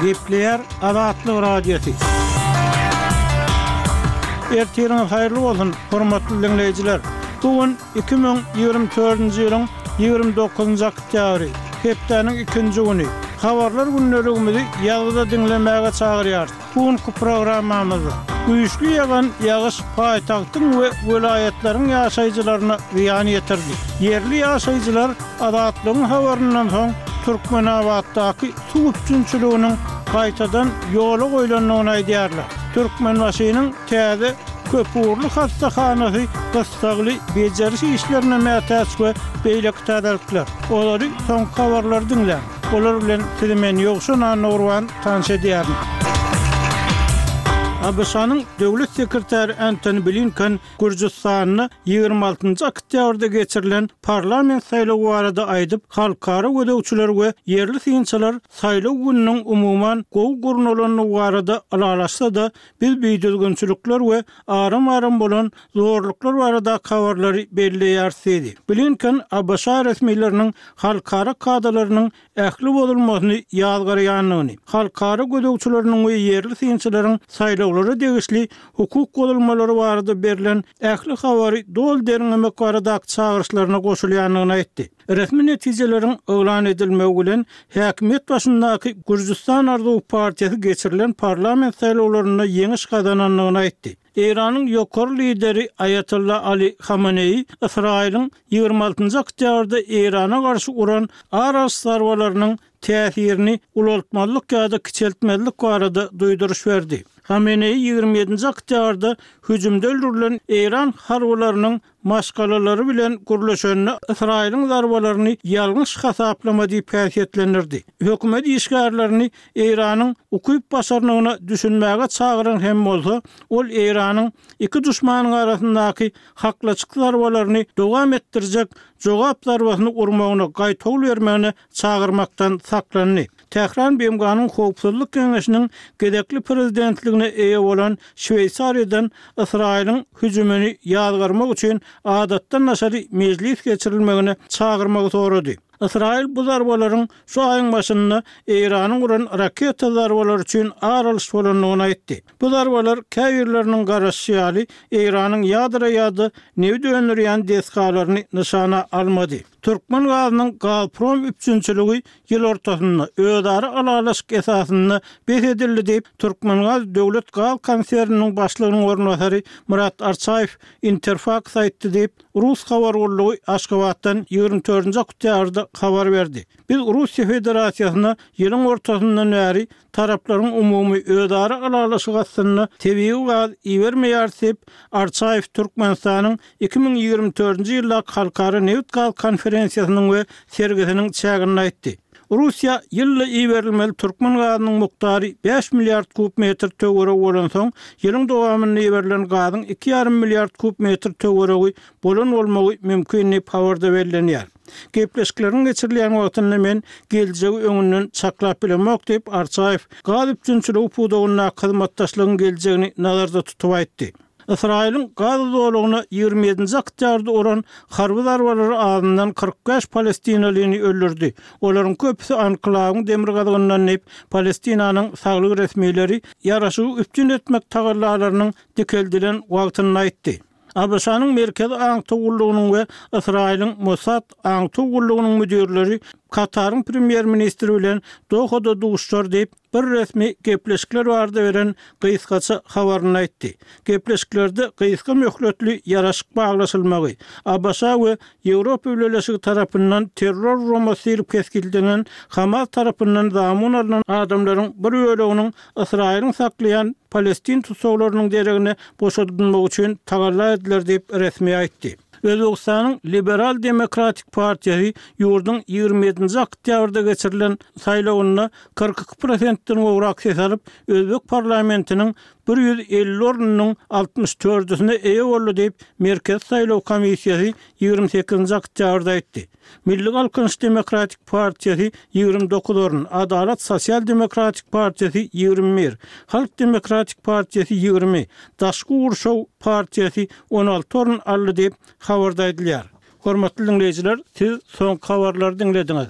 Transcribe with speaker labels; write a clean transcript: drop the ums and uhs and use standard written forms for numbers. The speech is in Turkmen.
Speaker 1: Gepleýär Azatlyk Radiosy. Ertiriňiz haýyrly bolsun, hormatly diňleýjiler! Bu gün 2024-nji ýylyň 29-njy oktýabry, hepdäniň ikinji güni. Habarlar gündeligimizi ýazgyda diňlemäge çagyrýarys. Bu günki programmamyzda güýçli ýagan ýagyş paýtagtyň we welaýatlaryň ýaşaýjylaryna zyýan ýetirdi. Ýerli ýaşaýjylar Azatlygyň habaryndan soň Türkmenabatdaky suw üpjünçiliginiň gaýtadan ýola goýlandygyny aýdýarlar. Türkmenbaşynyň täze köpugurly hassahanasy gyssagly bejeriş işlerine mätäç we beýleki täzelikler. Olary soňky habarlary diňläň. Olar bilen sizi men Ýowşan Annagurban tanyş edýärin. ABŞ-nyň Döwlet sekretary Antony Blinken Gürjüstanda 26-njy oktýabrda geçirilen parlament saýlawy barada aýdyp, halkara gözegçiler we ýerli synçylar saýlaw gününiň umuman gowy gurnalandygy barada ylalaşsa-da, biz bidüzgünçilikler we aram-aram bolan zorluklar baradaky habarlary belleýäris diýdi. Blinken ABŞ resmileriniň halkara kadalarynyň ähli bozulmasyny ýazgarýandygyny, halkara gözegçileriniň we ýerli synçylaryň saýlawlara degişli hukuk bozulmalary barada berlen ähli habary doly derňemek baradaky çagyryşlaryna goşulýandygyny aýtdy. Resmi netijeleriň yglan edilmegi bilen, häkimiýet başyndaky Gürjüstan arzuwy partiýasy geçirilen parlament saýlawlarynda ýeňiş gazanandygyny aýtdy. Eýranyň ýokary lideri Aýatolla Ali Hamaneýi Ysraýylyň 26-njy oktýabrda Eýrana garşy uran ar alyş zarbalarynyň täsirini ulaltmazlyk ýa-da kiçeltmezlik barada duýduryş berdi. Hameneýi 27-nji oktýabrda hüjümde öldürilen eýran harbylarynyň maşgalalary bilen gürleşende Ysraýylyň zarbalaryny ýalňyş hasaplama diýip häsiýetlendirdi. Hökümet işgärlerini Eýranyň ukyp-başarnygyna düşünmäge çagyran hem bolsa, ol Eýranyň iki duşmanyň arasyndaky haklaşyk zarbalaryny dowam etdirjek jogap zarbasyny urmagyna gaýtawul bermegine çagyrmakdan saklandy. Tähran BMG-niň Howpsuzlyk Geňeşiniň gezekli prezidentligine eýe bolan Şweýsariýadan Ysraýylyň hüjümini ýazgarmak üçin adatdan daşary mejlis geçirilmegine çagyrmagy sorady. Ysraýyl bu zarbalaryň şu aýyň başynda Eýranyň uran raketa zarbalary üçin ar alyş bolandygyny aýtdy. Bu zarbalar käbirleriniň garaşyşy ýaly Eýranyň ýadro ýa-da nebit öndürýän desgalaryny nyşana almady. Türkmen gazynyň Gazprom üpjünçiligi ýyl ortasynda, özara ylalaşyk esasynda bes edildi diýip, Türkmengaz döwlet gaz konserniniň başlygynyň orunbasary Myrat Arçaýew Interfaks aýtdy diýip, rus habar gullugy Aşgabatdan 24-nji oktýabrda habar berdi. Biz Russiýa Federasiýasyna ýylyň ortasyndan bäri Taraplaryň umumy özara ylalaşygy astynda tebigy gaz ibermeýäris diýip, Arçaýew Türkmenistanyň 2024-nji ýyldaky Halkara nebit-gaz konferensiýasynyň we sergisiniň çäginde aýtdy. Russiýa ýylda iberilmeli türkmen gazynyň mukdary bäş milliard kub metr töweregi bolansoň, ýylyň dowamynda iberilen gazyň iki ýarym milliard kub metr töweregi bolan bolmagy mümkin diýip, habarda bellenýär. Gepleşikleriň geçirilýän wagtynda men geljegi öňünden çaklap bilemok diýip, Arçaýew gaz üpjünçiligi pudagyndaky hyzmatdaşlygyň geljegini nazarda tutup aýtdy. Ysraýylyň Gaza zolagyna 27-nji oktýabrda uran harby zarbalary azyndan 45 palestinalyny öldürdi. Olaryň köpüsi anklawyň demirgazygyndan diýip, Palestinanyň saglyk resmileri ýaraşygy üpjün etmek tagallalarynyň dikeldilen wagtynda aýtdy. ABŞ-nyň Merkezi aňtaw gullugynyň we Ysraýylyň Mossad aňtaw gullugynyň müdirleri Kataryň premýer-ministri bilen Dohada duşuşar diýip, bir resmi gepleşikler barada beren gysgaça habarynda aýtdy. Gepleşiklerde gysga möhletli ýaraşyk baglaşylmagy, ABŞ we Ýewropa Bileleşigi tarapyndan terror guramasy diýlip kesgitlenen Hamas tarapyndan zamun alnan adamlaryň bir böleginiň Ysraýylyň saklaýan palestin tussaglarynyň deregine boşadylmagy üçin tagalla ediler diýip, resmi aýtdy. Özbegistanyň Liberal demokratik partiýasy ýurduň 27-nji oktýabrda geçirilen saýlawynda 42 prosentden gowrak ses alyp, özbek parlamentiniň 150 ornunyň 64-üsine eýe boldy diýip, Merkezi saýlaw komissiýasy 28-nji oktýabrda aýtdy. Milli Galkynyş demokratik partiýasy 29 orun, Adalat sosial-demokratik partiýasy 21, Halk demokratik partiýasy 20, Daşky gurşaw partiýasy 16 orun aldy diýip, habarda aýdylýar. Hormatly diňleýjiler, siz soňky habarlary diňlediňiz.